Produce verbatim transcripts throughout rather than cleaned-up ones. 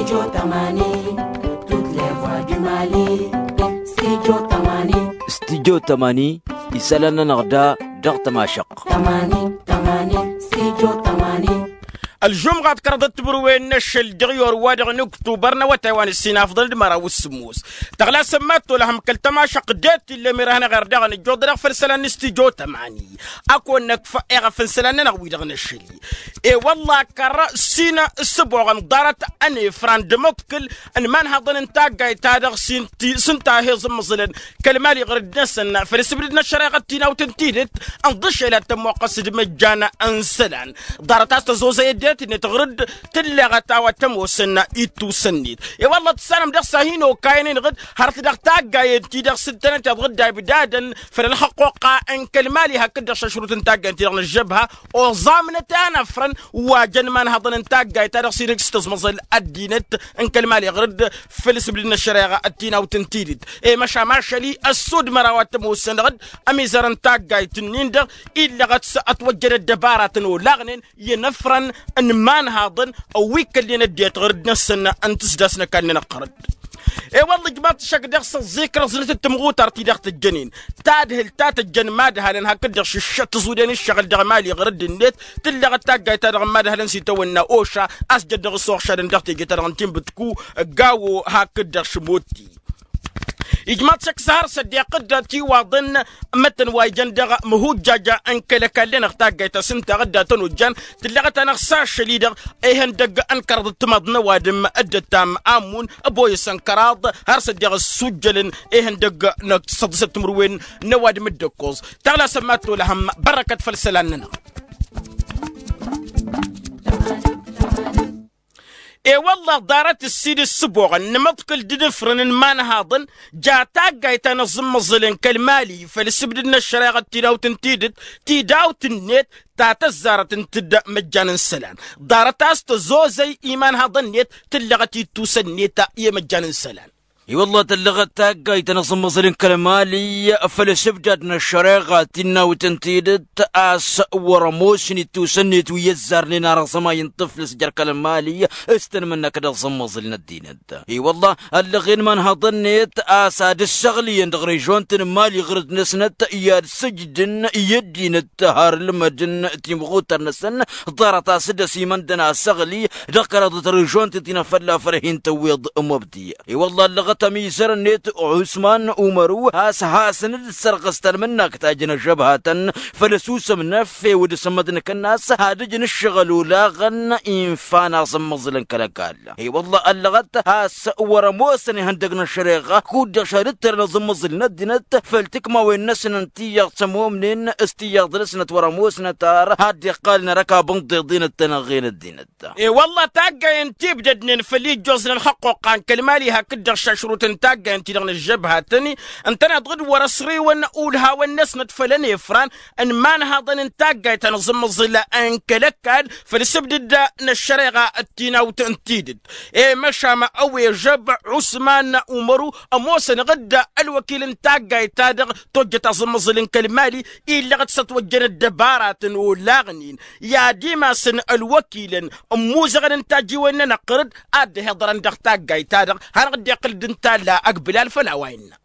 Studio tamani, toutes les voix du Mali. Studio tamani. Studio tamani, isălan-nănăɣ da dăɣ-tămašăqq. Tamani, tamani, studio tamani. Ălžumɣa d-kăraḍăt timǝrwen n-ašăl dăɣ-i orwa dăɣ-nǝktubăr n-awătay wa n-ǝssin afḍăn d-măraw s-sǝmmos. Tăɣlasăn mad-tolăhăm kăl-tămašăqq det-illa ămirăhăn eɣer daɣ nǝjjoḍ dăɣ-făll-isălan n-studio tamani. Ad-kăwăn-năkf eɣăf n-isălan-nănăɣ wi-dăɣ n-ašăl-i. E-wălla kăr-s-in ǝssǝboɣăn ḍarăt ănefran d-amǝḍkǝl n-imanhaḍăn n-taggayt-ta-dăɣ s-inta s-inta a he-ẓǝmmăẓǝlăn kăl-mali ɣǝr-dd-năsăn făll-asǝbdǝd n-ăššăreɣa d-tinawt n-tidǝt. Ǝnḍǝšel ad-tămmoqqăs d-imăjjan n-isălan ḍarăt a-s tăzozăy ăddinăt-net ɣǝr-dd tǝlleɣăt a-wa t-ămoosăn ittusăn-net. E-wălla tǝssanăm dăɣ-s a hin-okayăn-in-dăɣ hărăt dăɣ-taggayen-ti-dăɣ s-ǝntănăt iḍɣǝd a ibdadăn făll-ălxăqqoqqa n-kăl-mali hakd-dăɣ šašrut n-taggayen-ti-dăɣ n-ăžžăbha. Oẓamnăt a năfrăn wa jăn imanhăḍăn n-taggayt-ta-dăɣ s-inǝks tăẓmăẓăl ăddinăt n-kăl-mali ɣǝr-dd făll-asǝbdǝd n-ăššăreɣa d-tinawt n-tidǝt. E-măšan ašăl-i ăssud măraw ad-t-ămoosăn dăɣ-dd ămizăr n-taggayt-nin-dăɣ illăɣăt s-ătwăjjădăt dăbaratăn olaɣnen i-inăfrăn n-imanhaḍăn ăwwi kălnen ăddinăt ɣǝr-dd-năsăn n-tǝsdasnăk a ǝnnăn ăqqărăd. E-wălla ijmaḍ-t šăkk dăɣ-s ăẓẓikrăẓnăt d-timɣutar-ti-dăɣ tǝjjănen tadhǝlt ta tǝjjăn imadhalăn hakd-dăɣ šǝššăt tǝẓuden ǝššăɣǝl dăɣ-mali ɣǝr-dd-net. Tǝllăɣăt taggayt-ta-dăɣ n-imadhalăn s-itawănna oša a-s jăddăɣ s-oɣšadăn dăɣ-teje-ta-dăɣ n-tinbǝtku gawo hakd-dăɣ šǝmotti. Ijmaḍ-t šăkk s-har s-ăddiqǝd tiwaḍăn măttăn wa ijăn dăɣ-măhujjaj n-kăl-ăkall-nănăɣ taggayt-ta s-ǝnta ɣǝdda tănojjan. Tǝllăɣăt-anăɣ s-ašăl-i-dăɣ ihăndăgg n-kăraḍ d-timaḍ n-ăwadǝm dd-ăttam amun ăboyăsăn kăraḍ har s-ăddiɣ ăsujjălăn ihăndăgg n-săḍisăt timǝrwen n-ăwadǝm dd-ăkkoẓ. Tăɣlasăn mad-tolăhăm bărrăkăt făll-isălan-nănăɣ. I-wăllah ḍarăt ǝssin ǝssǝboɣăn n-imǝḍkǝl d-inǝfrǝn n-imanhaḍăn ja taggayt ta n-aẓǝmmăẓǝl n-kăl-mali făll-asǝbdǝd n-ăššăreɣa d-tinawt n-tidǝt tidawt-net ta tăzzarăt ǝnta d-măjjan n-isălan. Ḍarăt a-s tăzozăy imanhaḍăn-net tǝllăɣăt ittusăn-net i-măjjan n-isălan. I-wăllah tǝllăɣăt taggayt ta n-aẓǝmmăẓǝl n-kăl-mali făll-asǝbdad n-ăššăreɣa d-tinawt n-tidǝt a-s wăr-ămoosăn ittusăn-net wi ăzzarnen ar aẓămay n-tǝflǝs jer-kăl-mali s-tanmǝnnak d-aẓǝmmăẓǝl n-ăddinăt. I-wăllah ăllăɣen imanhaḍăn-net a-s ad-ǝssăɣlǝyăn dăɣ-režon-tăn n-mali ɣǝr-dd-năsnăt i-ad-sǝjdǝn i-ăddinăt har ǝlmădăn timɣutar-năsăn. Ḍarăt a-s dd-ăsimăndăn asăɣli dăɣ-kăraḍăt režon-tăn ti n-afălla făll-hin-tăwweḍ mobdi. I-wăllah ăllăɣăt ămizăr-net ɣusman umăru a-s hasăn-dd-sărɣǝs talmǝnnakt a jăn ăžžăbhatăn făll-ăsusăm n-effe wăr dd-sămmăḍnăkăn a-s ad-ǝjǝn ǝššăɣǝl olaɣăn. Infan aẓǝmmăẓǝl n-kăl-ăkall. I-wăllah ăllăɣăt a-s wăr-ămoosăn ihăndăg n-ăššăreɣa kud-dăɣ šad-ǝttărăn aẓǝmmăẓǝl n-ăddinăt făll-tikmawen-năsăn n-tiyyăḍ s-ămomnen s-tiyyăḍ-năsnăt wăr-ămoosnăt ar ad-dd-iqqalăn arăkab n-ḍeḍen d-tanăɣɣe n-ăddinăt. I-wălla taggayen ti ǝbdădnen făll-ijjoẓ n-ălxăqqoqqa n-kăl-mali hakd-dăɣ šašrut n-taggayen-ti-dăɣ n-ăžžăbhatăn-i ǝntăneḍ-dd wăr-ăsriwăn ulhawăn-năsnăt făll-ănefran n-imanhaḍăn n-taggayt ta n-aẓǝmmăẓǝl n-kăl-ăkall făll-asǝbdǝd n-ăššăreɣa d-tinawt n-tidǝt. I-măšan ăwežăb ɣusman umăru ămoosăn ɣǝdda ălwăkil n-taggayt-ta-dăɣ tojjăt aẓǝmmăẓǝl n-kăl-mali illăɣăt s-ătwăjjăn ăddăbaratăn olaɣnen i-ad-imasăn ălwăkilăn ămmuzăɣăn n-tajjiwen-nănăɣ ɣǝr-dd ad-dd-ăhiḍărăn dăɣ-taggayt-ta-dăɣ. Hanăɣ-dd-iqqǝl-dd n-talla ăgbǝlal făll-a-wa innă.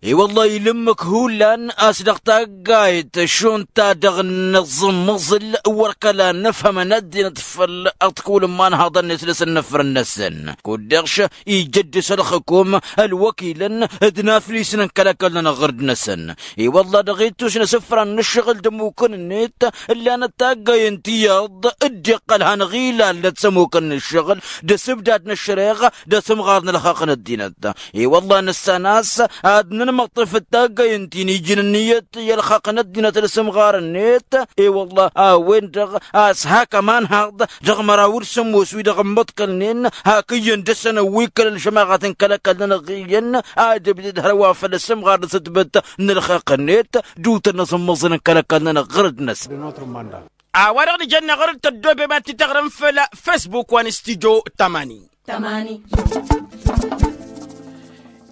I-wăllah ilǝmmǝk hullan a-s dăɣ-taggayt šund-ta-dăɣ n-aẓǝmmăẓǝl wăr kăla nǝfhămăn ăddinăt făll-aḍkul n-imanhaḍăn-net dăr-s ănnăfrăn-năsăn kud-dăɣ š-ijăddes ălxǝkum ălwăkilăn d-inaflisăn n-kăl-ăkall-nănăɣ ɣǝr-dd-năsăn. I-wăllah dăɣ-ittus n-asǝfran n-ǝššăɣǝl d-ămmukăn-net ǝllanăt taggayen tiyyăḍ dd-iqqăl hanăɣ-ilalnăt s-ămmukăn n-ǝššăɣǝl d-asǝbdad n-ăššăreɣa d-asǝmɣar n-ălxaqq n-ăddinăt. I-wăllah nǝssan a-s ad-nǝnmăṭṭef d-taggayen ti n-ijǝn ǝnniyăt i-ălxaqq n-ăddinăt d-asǝmɣar-net. I-wăllah a-wen-dăɣ a-s hak ămanhaḍ dăɣ-măraw d-sămmos wi-dăɣ ǝmmăḍkălnen hak iyyăn dăr-săn ăwwikkălăn šămaɣăt n-kăl-ăkall-nănăɣ iyyăn ad-ǝbdǝd hărwa făll-asǝmɣar d-asǝtbǝt n-ălxaqq-net d-utăn n-aẓǝmmăẓǝl n-kăl-ăkall-nănăɣ ɣǝr-dd-năsăn. A-wa-dăɣ nǝjănna ɣur-dd tăddoobem ad-t-tăɣrǝm făll-facebook wa n-studio tămani. Tămani.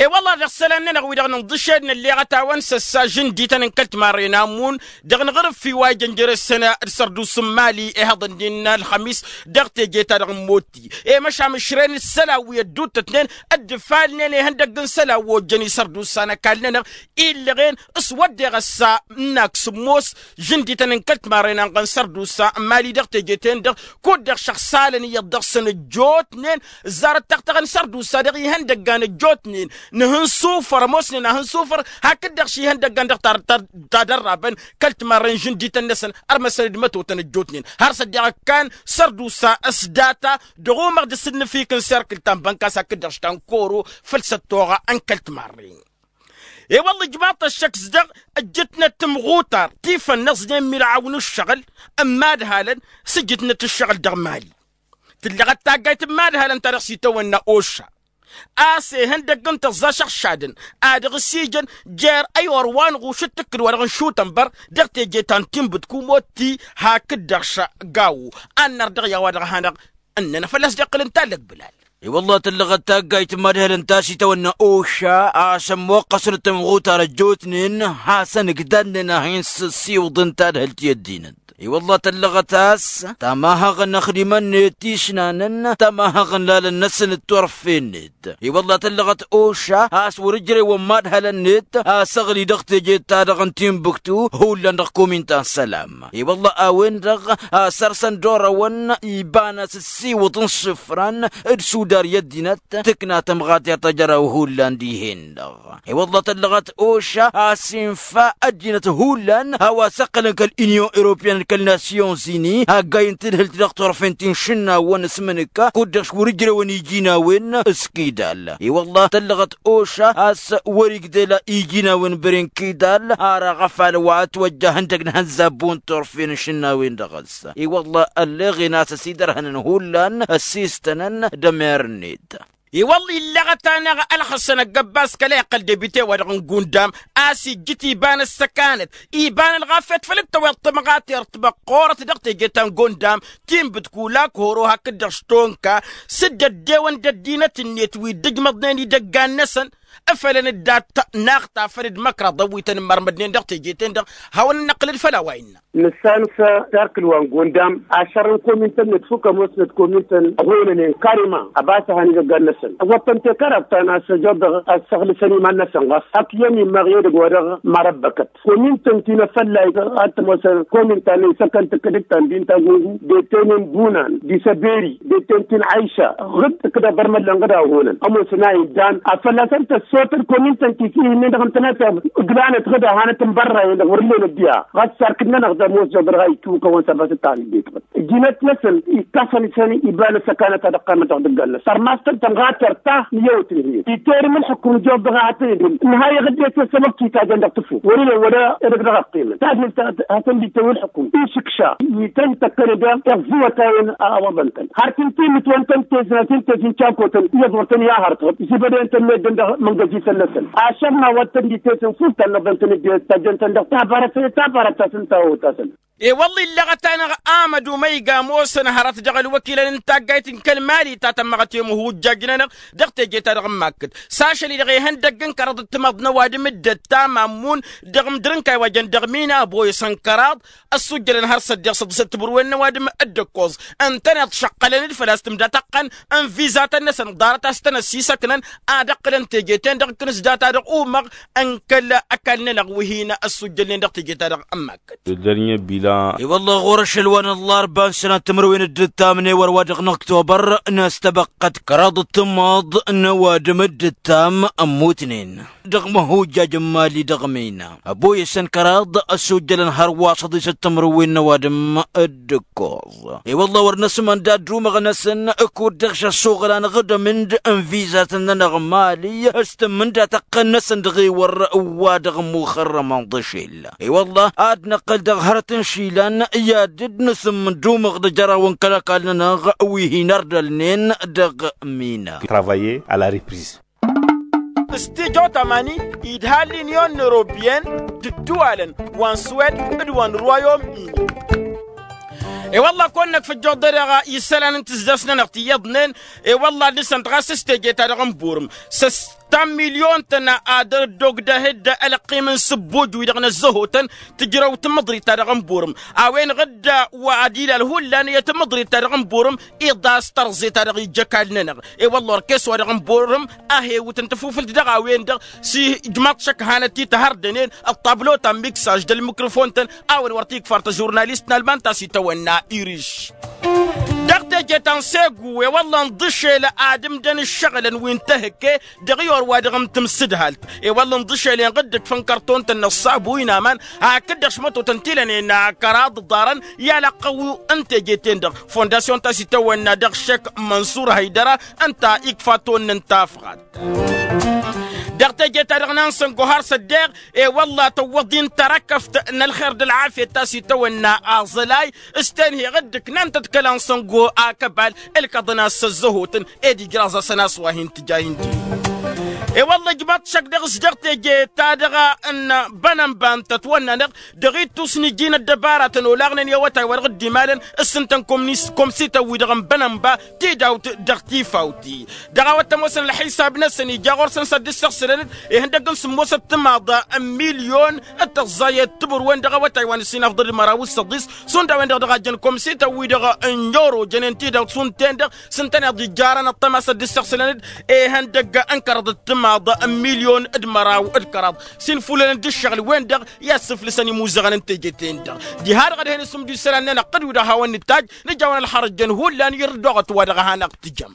E-wălla dăɣ-isălan-nănăɣ wi-dăɣ nǝnḍǝšed nălleɣăt-awăn s-ăssa žǝndităn n-kăl-timarren amun dăɣ-nǝɣrǝf i-wa ijănjăr ǝssăn d-sărduus n-mali ihăḍăn d-innă ălxămis dăɣ-teje-ta-dăɣ n-motti. E-măšan ǝšren isălan wi ădduuttătnen dd-ǝfalnen ihăndăgg n-isălan wi ojjăn isărdusan ăkall-nănăɣ illăɣen s-wădden ăssa n-ak sǝmmos žǝndităn n-kăl-timarren anɣăn sărdusa n-mali dăɣ-teje-ten-dăɣ kud-dăɣ šăxsalăn iyyăḍ dăɣ-săn ăjjootnen ǝzzarăt taɣtăɣăn sărdusa dăɣ-ihăndăggan ăjjootnen n-ihǝnsufăr ămoosnen ahǝnsufăr hakd-dăɣ šihăndăggan dăɣ-ta-dărrabăn kăl-timarren žǝndităn-năsăn ărmăsăn d-mătotăn ăjjootnen har s-ăddiɣ ăkkan sărdusa s-data dăɣ-umăɣ d-asǝnnǝfik n-serkǝl ta n-bănkas hakd-dăɣ štankoro făll-săttoɣa n-kăl-timarren. I-wălla ijmaḍ-t ăššăk s-dăɣ ǝjjǝtnăt timɣutar ti fănnăẓnen milɣaw n-ǝššăɣǝl n-imadhalăn s-ǝjjǝtnăt ǝššăɣǝl dăɣ-mali. Tǝllăɣăt taggayt n-imadhalăn ta dăɣ-s itawănna oša a-s ehăndăgg n-tăẓẓa šăɣšadăn ad-dăɣ-s ijăn jer-ăy orwanɣuš d-tǝkkǝd wa dăɣ-nǝšutăn băr dăɣ-teje ta n-tinbǝtku motti hakd-dăɣ šăggawo. Ad-nărdăɣ i-a-wa dăɣ-hanăɣ ǝnnănăɣ fălla-s d-iqqǝl ǝnta ăllăg bǝlal. I-wălla tǝllăɣăt taggayt n-imadhălăn ta s-itawănna oša a-s ămmoqqăsnăt timɣutar ăjjootnen hasăn-ǝgdadnen ad-hin-sǝssiwǝḍăn tadhǝlt i-ăddinăt. I-wălla tǝllăɣăt a-s tamahăɣ n-ăxdimăn-net ti ǝšnanăn tamahăɣ n-lalăn-năsăn d-turfen-net. I-wălla tǝllăɣăt oša a-s wăr-ǝjrewăn imadhălăn-net a-s ăɣli dăɣ-teje-ta-dăɣ n-tinbǝktu hullan dăɣ-komin ta n-sălam. I-wălla a-wen-dăɣ a săr-săn d-orăwăn iba n-asǝssiwǝḍ n-isǝfran d-sudar i-ăddinăt tǝkna tămɣatert a jăraw hullan dihen-dăɣ. I-wălla tăllăɣăt oša a-s infa ăddinăt hullan a-wa s-ǝqqǝlăn kăl-inyon europeyăn d-kăl-nasyon zini haggayen tadhǝlt dăɣ-turfen ti n-išǝnnawăn s-imǝnǝkka kud-dăɣ š-wăr-ǝjrewăn iji n-a-wen s-kidal. I-wălla tăllăɣăt oša a-s wăr-igdăla iji n-a-wen băren kidal ar aɣăfal wa ătwăjja ihăndăgg n-ihănzabbu n-turfen n-išǝnnawen dăɣ-s. I-wălla ălleɣen a-s ăsidărhănăn hullan ăssistănăn d-emer-net. I-wălla illăɣăt-anăɣ ălxăsăn ăggăbbas kăla iqqăl debite-wa-dăɣ n-gundam a-s ijjǝt iba n-ăssăkanăt iba n-ălɣafyăt făll-dd-tăweḍ tămɣatert măqqoorăt dăɣ-teje ta n-gundam tinbǝt kulak horo hakd-dăɣ s-tonka s-dd-ăddewăn d-ăddinăt-net wi dd-ǝjmăḍnen idăggan-năsăn. Ǝfălăn-dd dat-naɣ tafăl d-măkraḍ ăwwităn n-imărmădnen dăɣ-teje-ten-dăɣ hawăn-năqqǝl d-făll-a-wa innă. Nǝssan s-tarkǝl wa n-gondam ašăr n-komintăn-net fukk ămoosnăt komintăn ăhonănen karima ăbas a han idăggan-năsăn ăwwăḍ-tăn tekăraḍt ta n-a-s ăjoḍăɣ ăssăɣlǝsăn iman-năsăn ɣas hak iyyăn immăɣ i-edăgg wa dăɣ-marăbbăkăt. Komintăn ti n-afăllayt ad-t-ămoosăn komintăn isăkăn tǝkkǝdǝt ta n-dinta gungu d-eten n-bunan d-isăberi d-eten ti n-ayša ɣǝd tǝkkǝdăɣ bărmăllăn ɣǝd a honan ămoosăn a iddan ad-fălla-săn tăssotăd komintăn ti s-ih'-ǝnnin-dăɣ ǝntăneḍ ǝglanăt ɣǝd a hanăt n-bărrayăn-dăɣ wăr-ǝllen ăddiha ɣas sarkǝd-nănăɣ d-ămoos jobăr ha ikkǝwǝkăwăn s-ăbas d-taɣǝllet ɣǝd ǝjjǝnăt-năsăn ikkafa-năsăn iba n-ăssăkanăt ad-ăqqamăt dăɣ-idăggan-năsăn ărmas-tăn tămɣatert ta n-iyyăwăt n-hi-dd itterǝm ǝlxǝkum jobăr ha tăn-dd-ǝlxǝm ǝnhayăɣ dd-e-s ăssăbăb tităjăn dăɣ-tǝfut wăr-ila wăla edăgg dăɣ-ăqqimăn tadhǝlt hasăn-dd-itawǝl ǝlxǝkum išǝkša ităn-tăkkănăd iɣzǝwăt a-wen a ăwăḍăn-tăn har tǝnta imǝtwăn-tăn tezna tǝnta tǝnta n-cakotăn iyyăḍ wăr tăn-i-ahărtăɣ zibăden-tăn meddǝn dăɣ-măngăjităn-năsăn ašăl n-a-wa tăn-dd-itesăn ful tannăḍăn-tăn dd-e-s tajjăn-tăn dăɣ-tabarăt tabarăt ta s-ǝnta a otăsăn. E-wălla illăɣăt-anăɣ amădu măyga ămoosăn hărăt dăɣ-ălwăkilăn n-taggayt n-kăl-mali ta tămmăɣăt i-imǝhujjaj-nănăɣ dăɣ-teje-ta-dăɣ n-makkăt s-ašăl-i-dăɣ ihăndăgg n-kăraḍ d-timăḍt n-ăwadǝm dd-ăttam ammun dăɣ-imdǝr n-kaywajen dăɣ-mina ăboyăsăn kăraḍ ăssujjălăn har s-ăddiɣ săḍǝsăt timǝrwen n-ăwadǝm d-ǝkkoẓ ǝntăneḍ šăqqălăn-dd făl-a-s tǝmda tăqqăn n-vizatăn-năsăn ḍarăt a-s tăn-ăssisăknăn ad-ăqqǝlăn teje-ten-dăɣ ǝkkǝn s-data-dăɣ umăɣ n-kăl-ăkall-nănăɣ wi hin-ăssujjălnen dăɣ-teje-ta-dăɣ n-makkăt. I-wălla ɣur-ašăl wa n-ăllarba n-sănat timǝrwen d-ǝttam n-ewăr wa dăɣ-năktobăr n-ăstăbăqqăt kăraḍ d-tǝmmaḍ n-ăwadǝm d-ǝttam ămmutnen dăɣ-măhujjaj n-mali dăɣ-mina ăboyăsăn kăraḍ ăssujjălăn hărwa s-ăḍisăt timǝrwen n-ăwadǝm d-ǝkkoẓ. I-wălla wăr năsmăndat d-umăɣ-năsăn kud-dăɣ šăssuɣǝl anăɣ-dd-ămǝnd n-vizatăn-nănăɣ n-mali s-tǝmmǝnda tăqqăn-năsăn dăɣ-ewăr wa dăɣ-muxărrămăn d-ašel. I-wălla ad-năqqǝl dăɣ-hărăt n-išilan i-ad-dd-nǝsǝmmǝn d-umăɣ d-ajăraw n-kăl-ăkall-nănăɣ wi hin-ărdălnen dăɣ-mina. Travailler à la reprise. S-tijo tamani idha l-inyon n-europeyăn d-ǝddǝwalăn wa n-suwed d-wa n-royaume-uni. I-wălla kăwăn-năkf ǝjjuḍ-dd-dăɣ isălan n-tǝzzas-nănăɣ ti iyyăḍnen. I-wălla ad-nǝsǝnt ɣas s-teje-ta-dăɣ n-burǝm s-ăss ta n-milyon-tăn ad-ăddogdăh-dd ălqim n-sǝbbuj-wi-dăɣ n-ăzzăhotăn tǝjrăw tamǝḍrit-ta-dăɣ n-burǝm. A-wen-dăɣ dd-wa ad-ilal hullan i-tamǝḍrit ta dăɣ-n burǝm iḍas tărẓe ta dăɣ-ijjăk alnănăɣ. I-wălla orkes wa dăɣ-n burǝm a hewǝtăn tafufǝlt dăɣ-a-wen-dăɣ s-ijmaḍ šăkk hanăt-i tăhărdănen ăṭṭablo ta n-miksaj d-ălmikrăfon-tăn a-wen wăr t-ikfar tăžurnalist n-alman ta s-itawănna iriš. Dăɣ-teje ta n-segu i-wălla ǝnḍǝšel ad-ǝmdăn ǝššăɣǝlăn wi n-tehǝkke dăɣ-i or wa dăɣ-n tǝmsǝdhalt. I-wălla ǝnḍǝšel inɣǝd d-fănkărton-tăn n-ăṣṣabu inaman hakd-dăɣ šmătotăn ti lănen kăraḍ ḍarăn i-alăqqăw n-teje-ten-dăɣ. Fondasyon ta s-itawănna dăɣ-šek mănsur hăydăra ǝnta ikfa tonnăn tafɣat. Dăɣ-teje-ta-dăɣ n-ansăngo har s-ăddeɣ i-wălla tăwwăḍ-in tărăkăft n-ălxer d-ălɣafyăt ta s-itawănna aẓălay s-tenheɣ dd-ǝknan-tăt kăla n-săngo akăbal ǝlkăḍăn a-s ăzzăhotăn. Ed ijraẓ-asăn a-s wa hin-tǝja hin-ti. I-wălla ǝjmaḍ-t šăkk dăɣ-s dăɣ-teje-ta-dăɣ n-bănănba n-tătwănna-năɣ dăɣ-ittus n-iji n-ăddăbaratăn olaɣnen i-awătay wa dăɣ-dd-imalăn s-ǝntăn komsităn-wi-dăɣ n-bănănba tidawt dăɣ-tifawt-i. Dăɣ-a-wa t-ămoosăn ălxisab-năsăn ija ɣur-săn s-ad-dd-ǝssăɣsǝlăn ihăndăgg n-sǝmmosăt timaḍ n-milyon d-tăẓẓayăt tibǝrwen dăɣ-awătay wa n-ǝssin afḍăl d-măraw s-săḍis šund a-wen-dăɣ dăɣ-a jăn komsităn-wi-dăɣ n-joro jănen tidawt šund-ten-dăɣ s-ǝntăneḍ ijjarăn ăṭṭăma s-ad-dd-ǝssăɣsǝlăn-dd ihăndăgg n-kăraḍ d-timaḍ n-milyon d-măraw d-kăraḍ s-infulălăn d-ǝššăɣǝl-wen-dăɣ i-ad-sǝflǝsăn imuzăɣăn n-teje-ten-dăɣ. Diha-dăɣ ad-hen isǝmdu isălan-nănăɣ tǝdwi dăɣ-hawăn-nǝttaj nǝja-wăn ălxărăj jăn hullan irr-dd oɣăt wa dăɣ-a hanăɣ-tǝjăm.